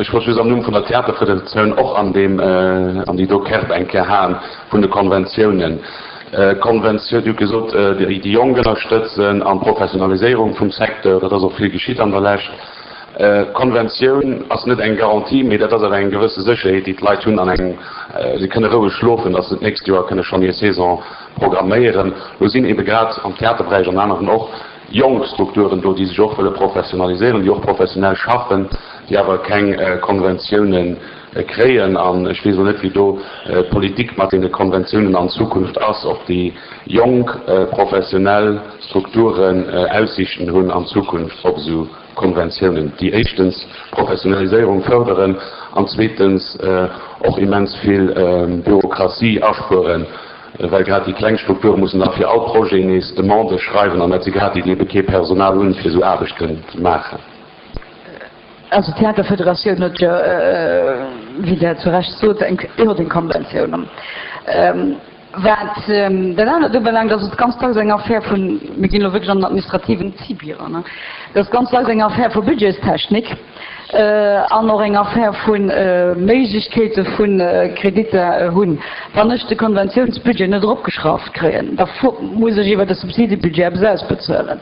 Ech wollt just am Numm vun der Theaterfederatioun och an deem, an déi do Kerb eng Kéier haen vun de Konventiounen. Konventioun, Dir hutt gesot, déi Jonk ënnerstëtzen an d'Professionaliséierung vum Secteur, dat ass och vill geschitt an der Lescht. Konventioun ass net eng Garantie, mee dat ass awer eng gewësse Sécherheet, déi d'Leit hunn an eng, si kënne roueg schlofen, datt se d'nächst Joer kënne schonn hir Saison programméieren. Lo sinn eebe grad am Theaterberäich an aneren och jonk Strukturen do, déi sech och wëlle professionaliséieren, déi och professionell schaffen, déi awer keng Konventioune kréien. An ech weess elo net, wéi do d'Politik mat deene Konventiounen an Zukunft ass, ob déi jonk professionell Strukturen Aussiichten hunn an Zukunft op esou Konventiounen, déi éischtens d'Professionaliséierung fërderen an zweetens och immens vill Bürokratie aspueren, well grad déi kleng Strukture mussen da fir all Projet nees Demandë schreiwen an dat si grad déi, déi ebe kee Personal hunn, fir esou Aarbechten ze maachen. Also d'Theaterfederatioun huet jo, wéi Der zu Recht sot, eng Konventioun. Wat dat anert ubelaangt, ass et ganz dacks eng Affär vun, mir ginn elo wierklech an den administrativen Zibi eran, et ass ganz dacks eng Affär vu Budgetstechnik an och eng Affär vu Méiglechkeete vu Kreditter hunn. Wann ech de Konventiounsbudget net eropgeschrauft kréien, da muss ech iwwert de Subsidebudget eppes ausbezuelen.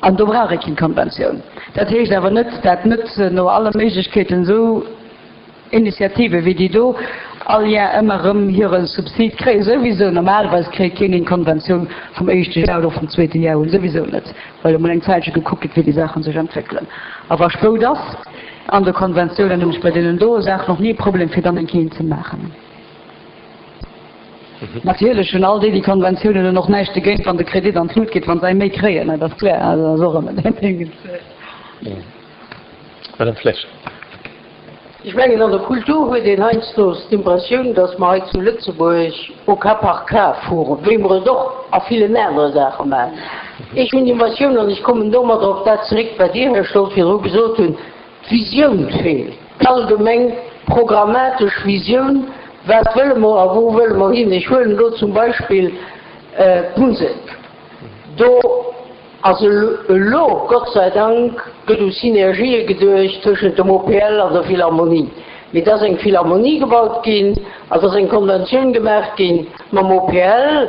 An do brauch ee keng Konventioun. Dat heescht awer net, dat net no alle Méiglechkeeten esou Initiative wéi déi do all Jar ëmmer erëm hire Subsid kréien, souwisou. Normalerweis kréit keen eng Konventioun vum éischte Jar oder vum zweete Jar un, souwisou net, well emol eng Zäitche gekuckt gëtt, wéi déi Saache sech entwéckelen. A wa Spout ass an de Konventiounen, hunn ech bei deenen doe Saachen och ni e Problem, fir dann eng Kéier ze maachen. Natierlech hunn all déi, déi Konventiounen hunn, och näischt dogéint, wann de Kredit an d'Lut geet, wa se eng méi kréien, dat ass kloer. Also dat ass och ëmmer dat Ding. Madame Flesch. Ech mengen, an der Kultur huet een heiansdo d'Impressioun, datt mer hei zu Lëtzebuerg au cas par cas fueren, wéi mer et och a villen anere Saache maachen. Ech hunn d'Impressioun, an ech kommen domadder op dat zeréck, wat Dir, Här Stolz, virdru gesot hunn, d'Visioun feelt, d'allgemeng programmatesch Visioun, Wat wëlle mer a wou wëlle mer hin? Ech huelen elo zum Beispill d'Musek. Do ass elo, Gott sei Dank, gëtt u Synergië geduecht tëschent dem OPL an der Philharmonie. Mee et ass eng Philharmonie gebaut ginn, et ass eng Konventioun gemaach gi mam OPL,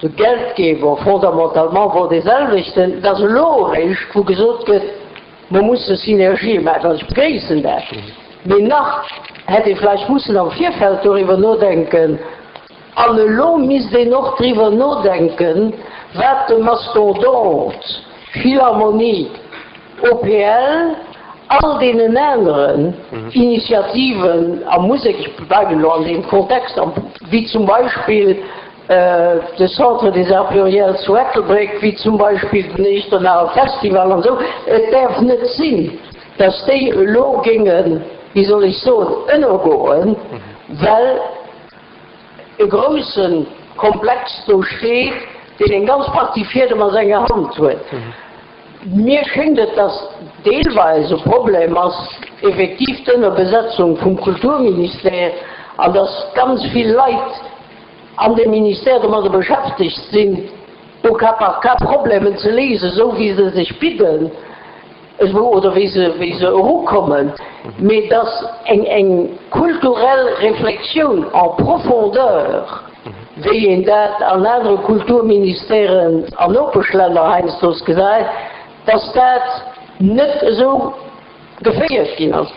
de Geldgeber fondamentalement wor dee selwechten. Et ass elo eréischt, wou gesot gëtt, mer musse Synergië maachen. An ech begréissen dat. Mee nach hätt ee vläicht mussen am Virfeld doriwwer nodenken, An elo misst een och driwwer nodenken, wat de Mastodont, Philharmonie, OPL, all deenen aneren Initiativen a Musek, ech bleiwen elo an deem Kontext, wéi zum Beispill de Centre des Arts Pluriels zu Ettelbréck, wéi zum Beispill den Echternacher Festival an esou, et däerf net sinn, dass déi elo géingen, wéi soll ech soen, ënnergoen, well e grousse Komplex do steet, deen eng ganz Partie Fiedem a senger Hand huet. Mir schéngt et, dass deelweis e Problem ass effektiv d'Ënnerbesetzung vum Kulturministère an dass ganz vill Leit an deem Ministère domadder beschäftegt sinn, au cas par cas Problemen ze léisen, esou wéi se sech bidden. Oder wéi se, wéi se erukommen, mee dass eng, eng kulturell Reflexioun en profondeur, wéi een dat an anere Kulturministèren an Nopeschlänner heiansdo gesäit, dass dat net esou geféiert ginn ass.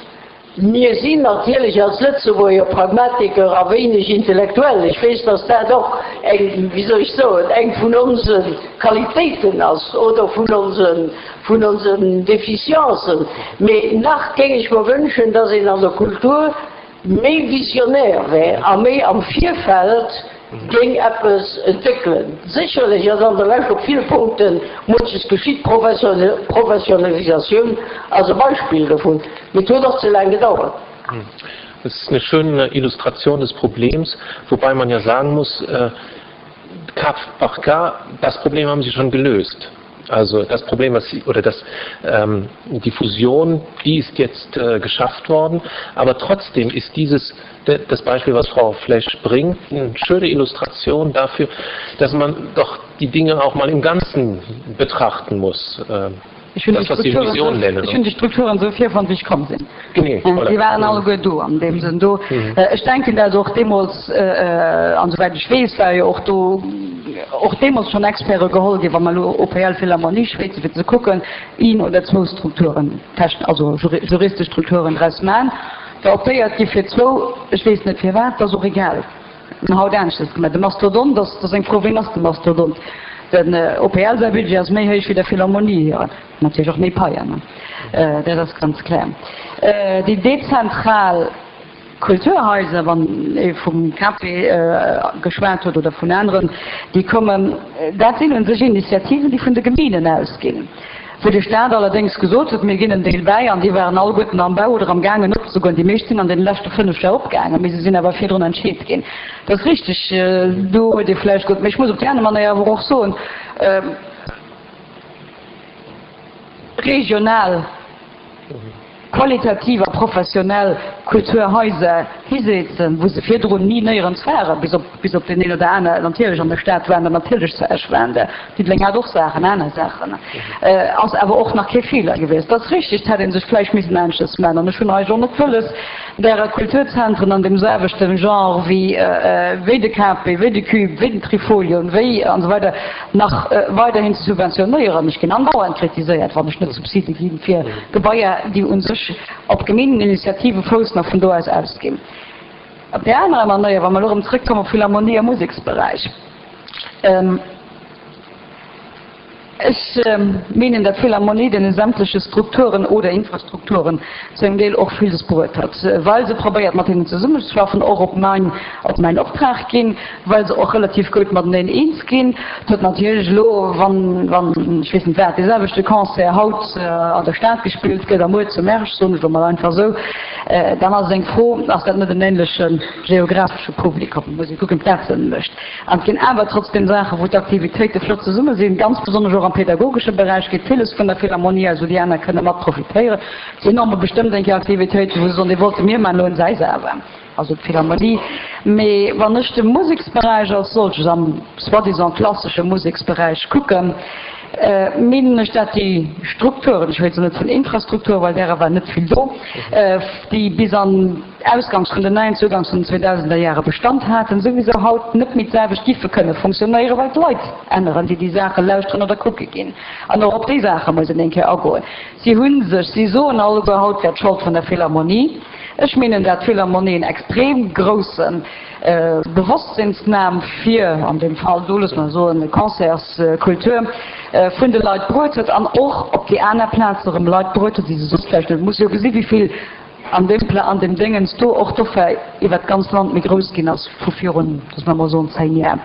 Mir sinn natierlech als Lëtzebuerger Pragmatiker a wéineg intellektuell. Ech weess, dass dat och eng, wéi soll ech soen, eng vun onse Qualitéiten ass oder vun onse, vun onsen Deficiencen. Mee nach géing ech mer wënschen, dass een an der Kultur méi visionär wär a méi am Virfeld géing eppes entwéckelen. Sécherlech ass an der Lescht op ville Punkte munches geschitt, Professionalisatioun ass e Beispill dovun, mee et huet och ze laang gedauert. Das ist eine schöne Illustration des Problems, wobei man ja sagen muss, Cas par cas, das Problem haben Sie schon gelöst. Also das Problem was sie, oder das, ähm, die Fusion, die ist jetzt äh, geschafft worden, aber trotzdem ist dieses das Beispiel, was Frau Flesch bringt, eine schöne Illustration dafür, dass man doch. die Dinge auch mal im Ganzen betrachten muss. Äh, Ech hunn déi Strukturen esou virfonnt, wéi ech komm sinn. Déi waren alleguer do an deem Sënn do. Ech denken, dat och deemools, an esouwäit ech weess, war jo och do och deemools schonn Experte geholl ginn, wa mer elo OPL Philharmonie schwätzen, fir ze kucken, een oder zwou Strukturen, also juristesch Strukturen draus maachen. Da optéiert gi fir zwou, ech weess net firwat, dat ass och egal. Mir haut aneschters gemaach. De Mastodont ass, dat ass eng Fro, ween ass de Mastodont? Den OPL säi Budget ass méi héich wéi der Philharmonie hiren. Natierlech och méi Paien, dat ass ganz kloer. Déi dezentral Kulturhaiser, wann ee vum KP geschwat huet oder vun aneren, déi kommen, dat sinn u sech Initiativen, déi vun de Gemeenen ausginn. Wou de Staat allerdéngs gesot huet, mir ginn en Deel bäi, an déi waren alleguerten am Bau oder am gaangen opzegoen. Déi meescht sinn an deene leschte 5 Jar opgaangen, mee se sinn awer virdrun entscheet ginn. Dat ass richteg, do huet ee vläicht gutt. Mee ech muss op déi aner Manéier awer och soen, regional, qualitativ a professionell Kulturhaiser hisetzen, wou se virdrun ni néierens waren, bis op, bis op deen een oder aner, natierlech an der Stad waren der, natierlech zu Esch waren der, Diddeleng hat och Saachen, aner Saachen, ass awer och nach kee Feeler gewiescht. Dat ass richtig, et hätt ee sech vläicht missen aneschters maachen. An ech hunn eigentlech och net wëlles, därer Kulturzentren an deem selwechte Genre wéi, wéi de KP, wéi de Cube, wéi den Trifolion, wéi an esou weider nach weiderhin ze subventionéieren. Ech ginn andauernd kritiséiert, wann ech net Subside gi fir Gebaier, déi u sech op Gemeengeninitiative foussen a vun do aus ausginn. Op där anerer Manéier, wa mer elo erëm zrëckkommen op Philharmonie a Museksberäich, Ech meengen, dat d'Philharmonie deene sämtleche Strukturen oder Infrastrukturen zu engem Deel och villes bruet hat, well se probéiert mat hinnen zesummeschaffen, och op mäin, op mäin Optrag ginn, well se och relativ gutt mateneen eens ginn. Et huet natierlech elo, wann, wann, ech weess net wat, dee selwechte Concert haut an der Stad gespillt gëtt a muer zu Mersch, soen ech elo mol einfach esou, dann ass et eng Fro, ass dat net en ähnleche geographesche Publikum? Muss ee kucken, wat Sënn mécht. An et ginn awer trotzdem Saachen, wou d'Aktivitéite flott zesumme sinn. Ganz besonnesch och am pädagogesche Beräich geet villes vun der Philharmonie aus, wou déi aner kënne mat profitéieren. Et sinn och bestëmmt eng Kéier Aktivitéiten, wou se soen, déi wollte mir maachen, elo hunn se eis awer, also d'Philharmonie. Mee wann ech de Museksberäich als solches, am soi-disant klassesche Museksberäich kucken, meengen ech, dat déi Strukturen, ech schwätzen net vun Infrastruktur, well därer war net vill do, déi bis an, ausgangs vun den 90, ugangs vun den 2000er Jahre Bestand haten, souwisou haut net méi d'selwecht giffe kënne funktionéieren, well d'Leit änneren, déi déi Saache lauschteren oder kucke ginn. An och op déi Saache muss een eng Kéier agoen. Si hu sech, si soen alleguer, haut wär d'Schold vun der Philharmonie. Ech meengen, dat d'Philharmonie en extrem grousse Bewosstsinnsnahm fir, an deem Fall do, loosse mer soen, Concertskultur vun de Leit bruet huet an och op déi aner Plaze erëm Leit bruet huet, déi se soss vläicht net. Muss jo gesi wéi vill An deem Pla, an deem Déngens do och d'Offer iwwert d'ganz Land méi grouss ginn ass vu virun, loosse mer emol soen, 10 Jar.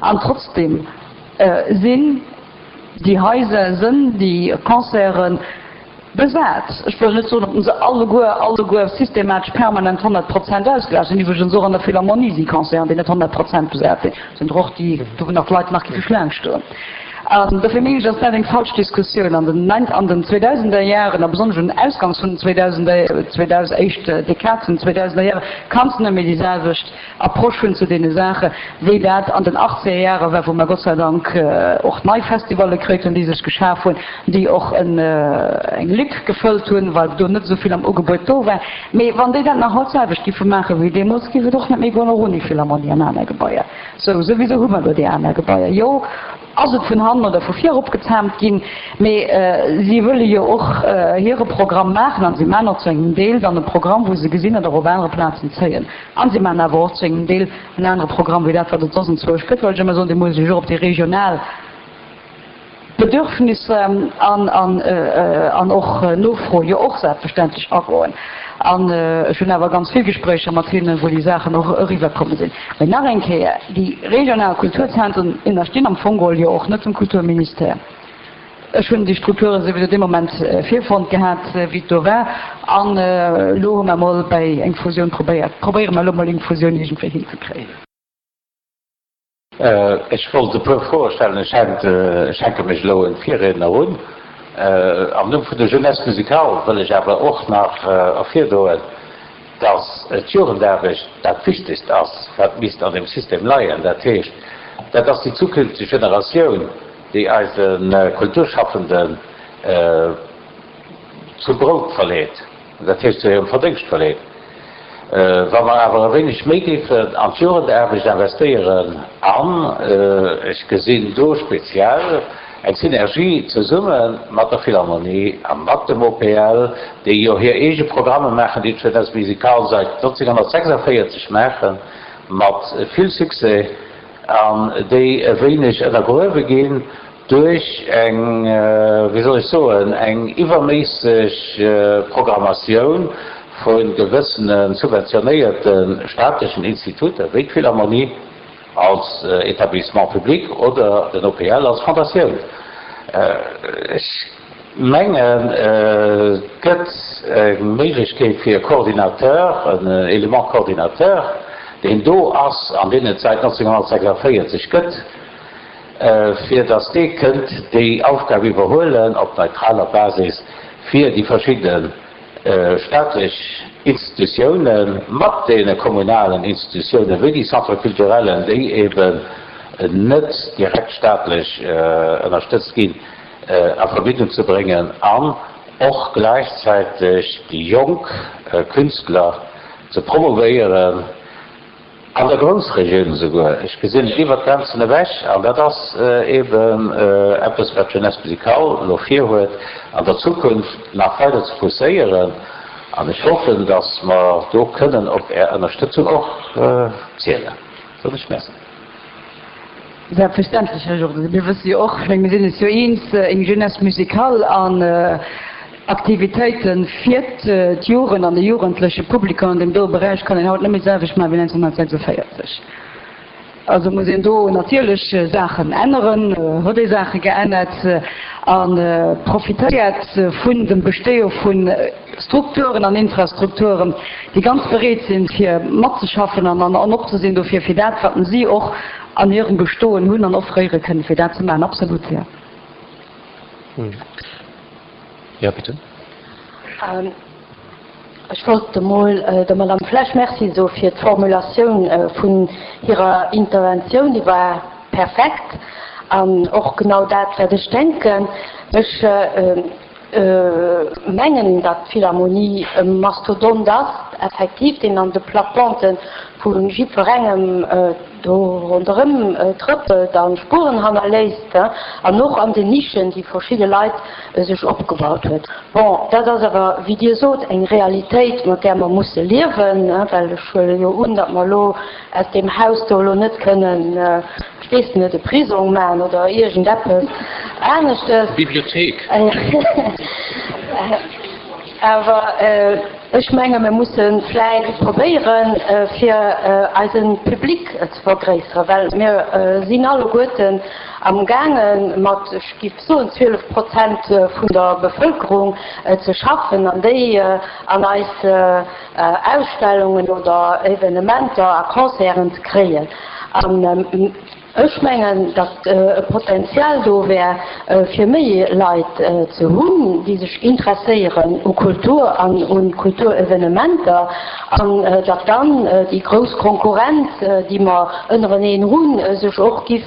An trotzdem sinn déi Haiser, sënn déi Concerte besat. Ech wëll net soen, ob se alleguer, alleguer systematesch permanent 100 Prozent ausgelaascht sinn. Iwwregens och an der Philharmonie si Concerten, déi net 100 Prozent besat sinn. Sinn der och, déi, do wou nach d'Leit nach géife Schlaang stoen. An dofir mengen ech, ass dat eng falsch Diskussioun. An den nein, an den zweedausender Jaren, a besonnesch un ausgangs vun den zweedausender, 2000, éischt Dekad vun den zweedausender Jahre, kanns de net méi déi selwecht Approche hunn zu deene Saache wéi dat an den achtzeger Jahre war, wou mer Gott sei Dank och nei Festivalle kréit hunn, déi sech geschaf hunn, déi och en, eng Lück gefëllt hunn, well do net esou vill am Ugebuet do war. Mee wann déi dat nach haut d'selwecht giffe maache wéi deemools, géif et och net méi goen, och ouni Philharmonie an aner Gebaier. Sou, souwisou hu mer do déi aner Gebaier. Jo, ass et vun hannen oder vu vir eropgezaamt ginn, mee si wëlle jo och hire Programm maachen an si maachen och zu engem Deel dann e Programm, wou se gesinn, datt och op anere Plazen zéien. An si maachen awer och zu engem Deel en anere Programm wéi dat, wat et soss enzwousch gëtt, well ech ëmmer soen, dee muss sech och op déi regional Bedürfnisser an och Nofro jo och selbstverständlech agoen. An ech hunn awer ganz vill Gespréicher mat hinnen, wou déi Saachen och eriwwerkomme sinn. Mee nach eng Kéier, déi regional Kulturzentren ënnerstinn am Fong geholl jo och net dem Kulturministère. Ech hunn déi Strukture souwisou dee Moment virfonnt gehat, wéi et do war. An elo hu mer emol bäi eng Fusioun probéiert, probéiere mer elo emol eng Fusioun iergendwéi hinzekréien. Ech wollt e puer Froe stellen. Ech hänke mech elo un d'Virriedner un. Am Numm vun der Jeunesse musicale wëll ech awer och nach ervirdoen, dass d'Jugendaarbecht dat Wichtegst ass, wat misst an deem System leien. Dat heescht. Dat ass déi zukünfteg Generatioun, déi eise Kulturschaffenden zum Brout verleet, dat heescht zu hirem Verdéngscht verleet. Wa mer awer e wéineg méi géifen an d'Jugendaarbecht investéieren, an ech gesinn do speziell eng Synergie zesumme mat der Philharmonie a mat dem OPL, déi jo hir eege Programme maachen, déi d'Jeunesse musicale säit 1946 maachen, mat vill Succès, an déi e wéineg ënnergruewe ginn duerch eng, wéi soll ech soen, eng iwwerméisseg Programmatioun vu gewëssene subventionéierte staatlechen Instituter, wéi d'Philharmonie als Établissement public oder den OPL als Fondatioun. Ech mengen, et gëtt eng Méiglechkeet fir e Coordinateur, en Élément coordinateur, deen do ass an deen et säit 1946 gëtt, fir datt dee kënnt déi Aufgab iwwerhuelen op neutraler Basis, fir déi verschidde staatlech Institutioune mat deene kommunalen Institutioune wéi déi Centres culturellen, déi eben net direkt staatlech ënnerstëtzt ginn, a Verbindung ze bréngen an och gläichzäiteg déi jonk Künstler ze promouvéieren. An der Groussregioun esouguer. Ech gesinn et iwwert d'Grenzen ewech. An dat ass eeben eppes, wat d'Jeunesse musicale elo virhuet, an der Zukunft nach weider ze pousséieren. An ech hoffen, datt mer do kënnen op Är Ënnerstëtzung och zielen. Soen ech Merci. Selbstverständlech, Här Jourden. Mir wësse jo och, ech menge mir sinn eis jo eens, eng Jeunesse musicale an Aktivitéite fir d'Jugend an de jugendleche Publikum an deem doe Beräich kann een haut net méi d'selwecht maache wéi 1946. Also muss een do natierlech Saachen änneren, huet ee Saache geännert a profitéiert vun dem Bestéie vu Strukturen an Infrastrukturen, déi ganz bereet sinn, fir matzeschaffen an an op ze sinn dofir, fir dat, wat si och an hirem Bestoen hunn an offréiere kënnen, fir dat ze maachen. Absolut, jo. Ja, bitte. Ech wollt emol der Madame Flesch Merci soe fir d'Formulatioun vun hirer Interventioun. Déi war perfekt an och genau dat, wat ech denken. Ech mengen, datt d'Philharmonie e Mastodont ass, effektiv, deen an de Plates-bandes vu jiddwerengem do ronderëm trëppelt a Spueren hannerléisst, an och an den Nischen, déi verschidde Leit sech opgebaut huet. Bon, dat ass awer, wéi Dir sot, eng Realitéit, mat där mer musse liewen, well ech huele jo un, datt mer elo aus deem Haus do elo net kënnen, ech weess net, e Prisong maachen oder iergendeppes aneschtes. Bibliothéik. Awer ech menge mir musse vläicht probéieren, fir eise Public ze vergréisseren, well mir sinn alleguerten amgaange mat, ech géif soen, 12 Prozent vun der Bevëlkerung ze schaffen an déi an eis Ausstellungen oder Evenementer a Concerten ze kréien. An ech mengen, datt e Potenzial do wär, fir méi Leit ze hunn, déi sech interesséieren u Kultur an u Kulturevenementer, an datt dann déi grouss Konkurrenz, déi mer ënnereneen hunn, sech och giff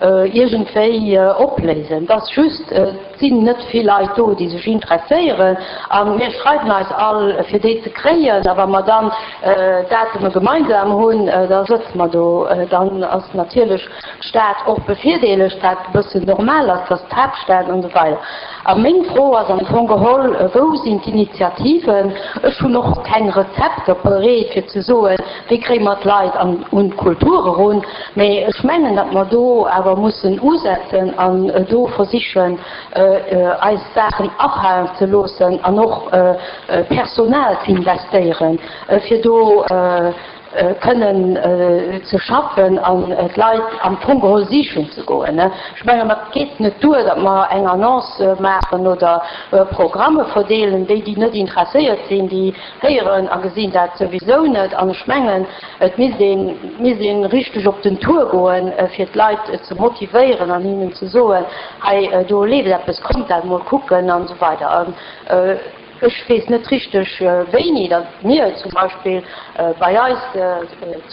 iergendwéi opléisen. Et ass just, Et sinn net vill Leit do, déi sech interesséieren, a mir schreiwen eis all, fir déi ze kréien. A wa mer dann Datume gemeinsam hunn, da sëtze mer do. Dann ass natierlech d'Stad och bevirdeelegt, wat e bëssen normal ass, dass d'Haaptstad an esou weider. A meng Fro ass am Fong geholl, Wou sinn d'Initiativen? Ech hunn och keng Rezepter bereet, fir ze soen, Wéi kréie mer d'Leit an un d'Kultur erun? Mee ech mengen, datt mer do awer mussen usetzen an do versichen, eis Saachen afalen ze loossen an och Personal ze investéieren, fir do kënnen ze schaffen an d'Leit am Fong geholl sichen ze goen. Ech mengen, et geet net duer, datt mer eng Annonce maachen oder Programme verdeelen. Déi, déi net interesséiert sinn, déi Héieren a gesinn dat souwisou net. An ech mengen, et misst een, misst een richteg op den Tour goen, fir d'Leit ze motivéieren an hinnen ze soen, hei do leeft eppes, kommt dat mol kucken an esou weider. Ech weess net richteg wéini, datt mir zum Beispill bei eis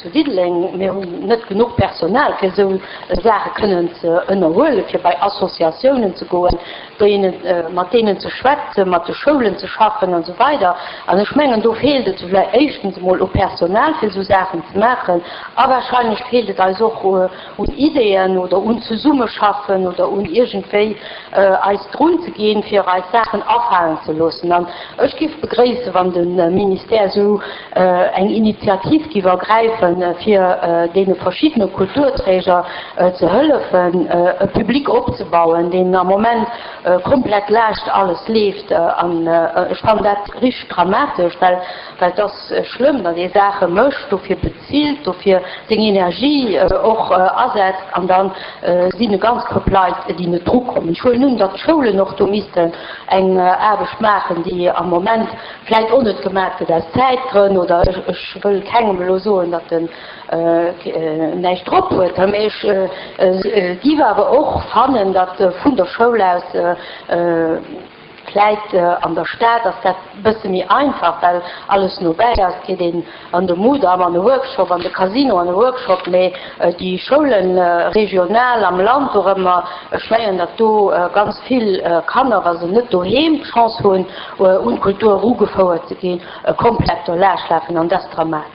zu Diddeleng, mir hunn net genuch Personal fir esou Saache kënnen ze ënnerhuelen, fir bei Associatiounen ze goen, deenen, mat deenen ze schwätzen, mat de Schoulen ze schaffen an esou weider. An ech mengen, do feelt et vläicht éischtens emol u Personal, fir esou Saachen ze maachen, a wahrscheinlech feelt et eis och un Ideeën oder un Zesummeschaffen oder un iergendwéi eis drun ze ginn, fir eis Saachen afalen ze loossen. An ech géif begréissen, wann de Ministère esou eng Initiativ géif ergräifen, fir deene verschiddene Kulturträger ze hëllefen, e Public opzebauen, deen am Moment komplett laascht alles leeft. An ech fannen dat richteg dramatesch, well et ass schlëmm, datt ee Saache mécht, dofir bezilt, dofir seng Energie och asetzt an da sinn e ganz Koup Leit, déi net drukommen. Ech huelen un, datt d'Schoulen och do missten eng Aarbecht maachen, déi am Moment vläit och net gemaach gëtt aus Zäitgrënn oder ech wëll kengem elo soen, datt en näischt drop huet, mee ech giff awer och fannen, datt vun der Schoul aus, Vläit an der Stad ass dat bësse méi einfach, well alles no bäi ass. Et geet een an de Mudam an e Workshop, an de Casino an e Workshop, mee déi Schoulen regional am Land dorëmmer, ech mengen, datt do ganz vill Kanner, wa se net doheem d'Chance hunn, un d'Kultur erugefouert ze ginn, komplett do laaschtlafen an dat ass dramatesch.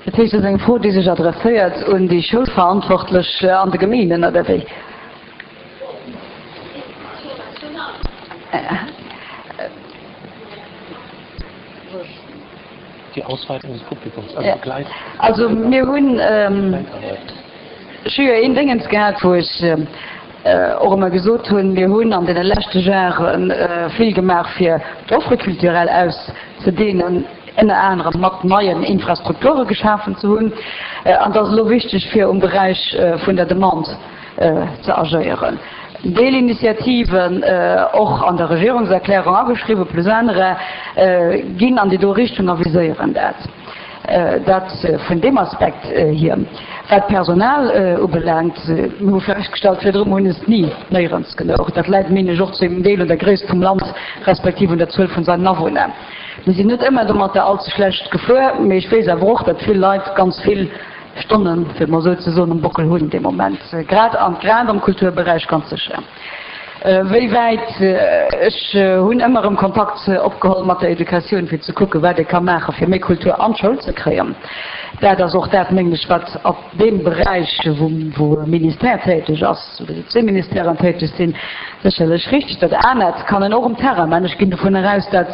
Dat heescht, et ass eng Fro, déi sech adresséiert un déi Schoulverantwortlech an de Gemeenen, oder wéi? Die Ausweitung des Publikums, also Begleit. Also mir hunn, ech hu jo een Déngens gehat, wou ech och ëmmer gesot hunn, mir hunn an deene leschte Jahre vill gemaach fir d'Offre culturelle auszedehnen, ënner anerem mat neien Infrastrukture geschafen ze hunn. An et ass elo wichteg fir um Beräich vun der Demande ze agéieren. Deelinitiativen, och an der Regierungserklärung ageschriwwen, plus anerer, ginn an déi do Richtung a viséieren dat. Dat vun deem Aspekt hier. Wat d'Personal ubelaangt, mir hu festgestallt virdrun, mir hunn es ni néierens gelouch. Dat läit, meen ech, och zu engem Deel un der Gréisst vum Land respektiv un der Zuel vun seinen Awunner. Mir sinn net ëmmer domatter allze schlecht gefuer, mee ech weess awer och, datt vill Leit ganz vill Stonnen, fir et mol esou ze soen, um Bockel hunn dee Moment, grad an grad am Kulturberäich ganz sécher. Wéi wäit, ech hunn ëmmer erëm Kontakt opgeholl mat der Educatioun, fir ze kucken, wat ee ka maachen, fir méi Kultur an d'Schoul ze kréien. Dat ass och dat, mengen ech, wat op deem Beräich, wou e Ministère täteg ass, oder déi zwee Ministèren täteg sinn, sécherlech richtig. Dat anert kann een och um Terrain maachen. Ech ginn dovun eraus, dat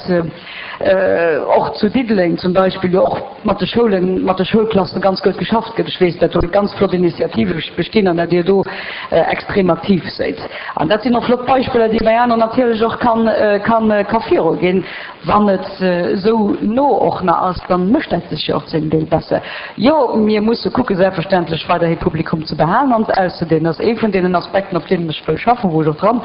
och zu Diddeleng zum Beispill jo och mat de Schoulen, mat de Schoulklassen ganz gutt geschafft gëtt. Ech weess, datt do ganz flott Initiative bestinn an datt Dir do extrem aktiv séid. An dat sinn och flott Beispiller, déi ee bei aneren natierlech och kann, kann, ka viruginn. Wann et esou no och nach ass, da mécht dat sech jo och zu engem Deel besser. Jo, mir musse kucke selbstverständlech weiderhi Publikum ze behalen an auszedehnen. Dat ass ee vun deenen Aspekten, op deenen ech wëll schaffen, wou ech och dran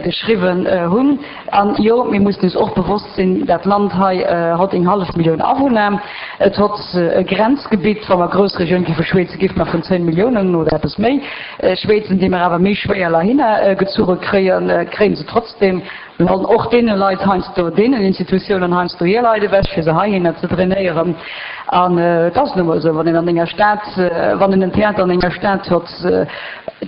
geschriwwen hunn. An jo, mir mussen eis och bewosst sinn, dat Land hei hott eng hallef Millioun Awunner. Et hott e Grenzgebitt. Wa mer Groussregioun géife schwéizen, géife mer vun 10 Milliounen oder eppes méi schwéizen, déi mer awer méi schwéier lahinner gezuche kréien, kréie se trotzdem. Mir hollen och deene Leit heiansdo, deenen Institutiounen heiansdo hir Leit ewech, fir se heihinner ze drainéieren. An et ass nu mol esou, wann een an enger Stad, wann een en Theater an enger Stad hott,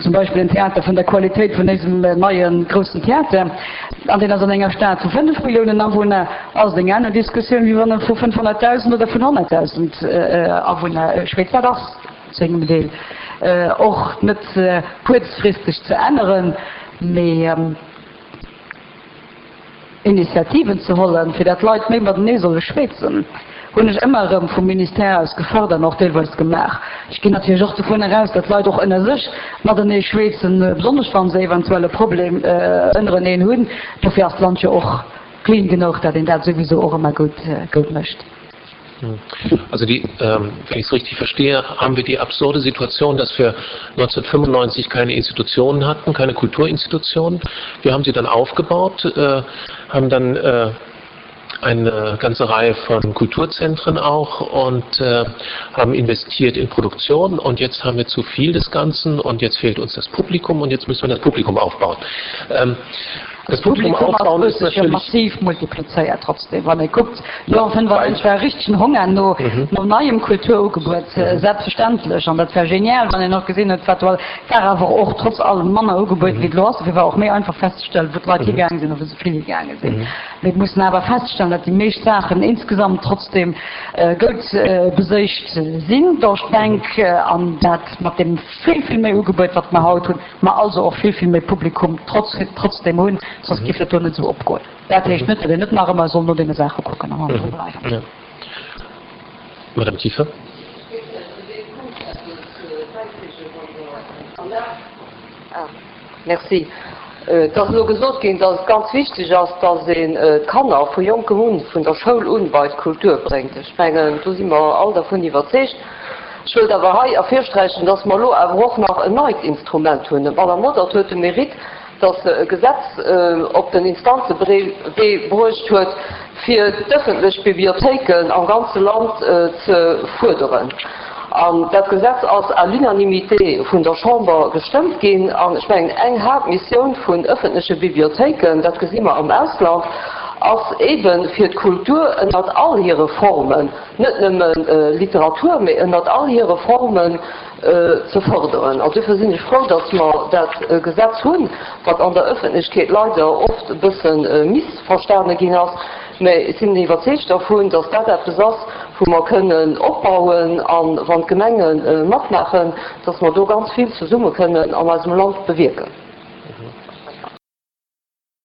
zum Beispill en Theater vun der Qualitéit vun éisem neie groussen Theater, an deen ass an enger Stad vu 5 Milliounen Awunner, ass et eng aner Diskussioun, wéi wann e vu 500.000 oder vun 100.000 Awunner schwätzt. Dat ass zu engem Deel och net kuerzfristeg ze änneren, mee. Initiativen ze hollen, fir dat d'Leit méi matenee solle schwätzen, hunn ech ëmmer erëm vum Ministère aus gefërdert an och deelweis gemaach. Ech ginn natierlech och dovun eraus, dat d'Leit och ënner sech matenee schwätzen, besonnesch wa se eventuell e Problem ënnereneen hunn. Dofir ass d'Land jo och clean genuch, dat een dat souwisou och ëmmer gutt mécht. Also die, ähm, wenn ich es richtig verstehe, haben wir die absurde Situation, dass wir 1995 keine Institutionen hatten, keine Kulturinstitutionen. Wir haben sie dann aufgebaut, äh, haben dann äh, eine ganze Reihe von Kulturzentren auch und äh, haben investiert in Produktion und jetzt haben wir zu viel des Ganzen und jetzt fehlt uns das Publikum und jetzt müssen wir das Publikum aufbauen. Ähm. Das Publikum ass huet sech jo massiv multiplizéiert trotzdem. Wann ee kuckt, Joer 95 war e richtegen Honger no no neiem Kulturugebuet, selbstverständlech. An dat war genial, wann een och gesinn huet, wat do all, war awer och trotz allem manner Ugebuet wéi et elo ass. Dofir war och méi einfach festzestellen, wou d'Leit higaange sinn a wou se vill higaange sinn. Mee et mussen awer feststellen, datt déi meescht Saachen insgesamt trotzdem goud beséicht sinn duerch d'Bänk an dat mat deem vill, vill méi Ugebuet, wat mer haut hunn, mer also och vill, vill méi Publikum trotz, trotzdem hunn, soss géif dat do net esou opgoen. Dat heescht net, datt een net nach ëmmer soll no deene Saache kucken an hannendru bleiwen. Madame Kieffer. Merci. Et ass elo gesot ginn, datt et ganz wichteg ass, datt een d'Kanner vu jonkem un, vun der Schoul un, bei d'Kultur bréngt. Ech mengen, do si mer all dervun iwwerzeegt. Ech wëllt awer hei ervirsträichen, datt mer elo awer och nach en neit Instrument hunn. D'Madame Modert huet de Mérite, datt se e Gesetz op den Instanzewee bruecht huet, fir d'ëffentlech Bibliothéiken am ganze Land ze fuerderen. An dat Gesetz ass à l'unanimité vun der Chamber gestëmmt ginn. An ech mengen, eng Haaptmissioun vun ëffentleche Bibliothéiken, dat gesi mer am Ausland, ass eebe fir d'Kultur ënnert all hire Formen, net nëmme Literatur, mee ënnert all hire Formen ze fërderen. An duerfir sinn ech frou, datt mer dat Gesetz hunn, wat an der Ëffentlechkeet leider oft e bësse missverstane ginn ass. Mä ech sinn iwwerzeegt dervun, datt dat eppes ass, wou mer kënnen opbauen a wann d'Gemenge matmaachen, datt mer do ganz vill zesumme kënnen an eisem Land bewierken.